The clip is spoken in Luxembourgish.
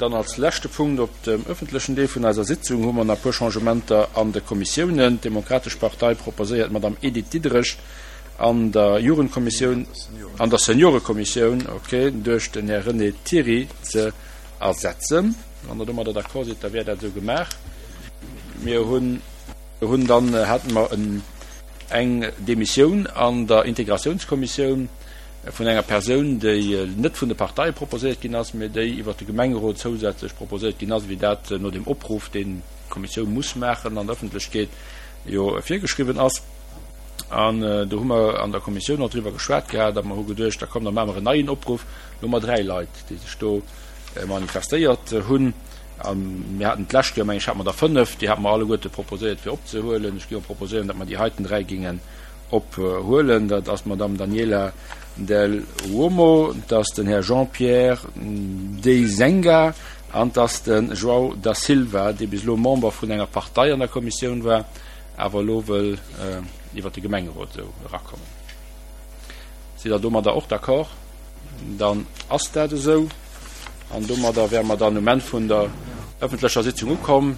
Dann als leschte Punkt op dem öffentlechen Deel vun eiser Sitzung hu mer nach e puer Changementer an de Kommissiounen. D'Demokratesch Partei proposéiert d'Madame Edith Diderich an der Jugendkommissioun, an der Seniorekommissioun, okay, duerch den Här René Thiry ze ersetzen. Wann Der domadder d'accord sidd, da wär dat esou gemaach. Mir hunn hunn dann hate mer en eng Demissioun an der Integratiounskommissioun vun enger Persoun, déi net vun de Parteie proposéiert ginn ass, mä déi iwwert de Gemengerot zousätzlech proposéiert ginn ass, wéi dat no dem Opruff, deen d'Kommissioun muss maachen an der Ëffentlechkeet, jo virgeschriwwen ass. An do hu mer an der Kommissioun och driwwer geschwat gehat a mer hu geduecht, da komm, da maache mer en neien Opruff. Lo hu mer 3 Leit, déi sech do manifestéiert hunn. A mir haten d'lescht Joer, meng ech, hate mer der 5, déi hate mer alleguerte proposéiert fir opzehuelen. Ech géif och proposéieren, datt mer déi heiten 3 géingen ophuelen. Dat ass d'Madame Daniela Del Uomo, et ass den Här Jean-Pierre Dezenga an et ass de João da Silva, dee bis elo Member vun enger Partei an der Kommissioun war, awer elo wëll iwwert de Gemengerot esou erakommen. Sidd Der domadder och d'accord? Dann ass dat esou. An domadder wäre mer dann um Enn vun der öffentlecher Sitzung ukomm.